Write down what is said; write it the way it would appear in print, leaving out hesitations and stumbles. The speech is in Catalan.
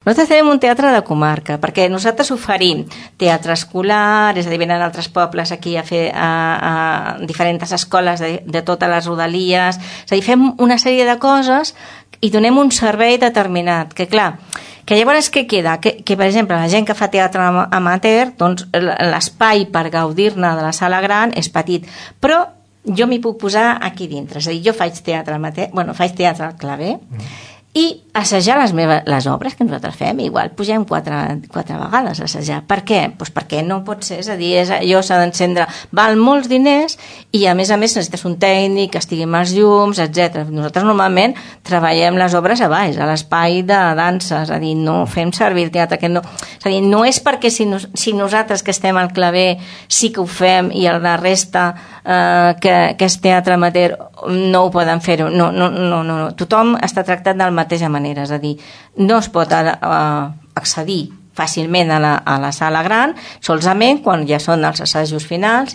Nosaltres tenim un teatre de comarca, perquè nosaltres oferim teatre escolar, és a dir, venen altres pobles aquí a fer a diferents escoles de totes les rodalies, és a dir, fem una sèrie de coses i donem un servei determinat, que clar, que llavors què queda? Que per exemple, la gent que fa teatre amateur, doncs l'espai per gaudir-ne de la sala gran és petit, però jo m'hi puc posar aquí dintre, és a dir, jo faig teatre amateur, faig teatre al claver, i assajar les obres que nosaltres fem, igual pugem quatre vegades a assajar. Per què? Doncs perquè no pot ser, és a dir, allò s'ha d'encendre, val molts diners i a més necessites un tècnic que estigui amb els llums, etc. Nosaltres normalment treballem les obres a baix, a l'espai de dansa, és a dir, no fem servir el teatre, que no, és a dir, no és perquè si nosaltres que estem al claver sí que ho fem i la resta que és teatre amateur no ho poden fer-ho, no, tothom està tractat de la mateixa manera, és a dir, no es pot accedir fàcilment a la sala gran, solament quan ja són els assajos finals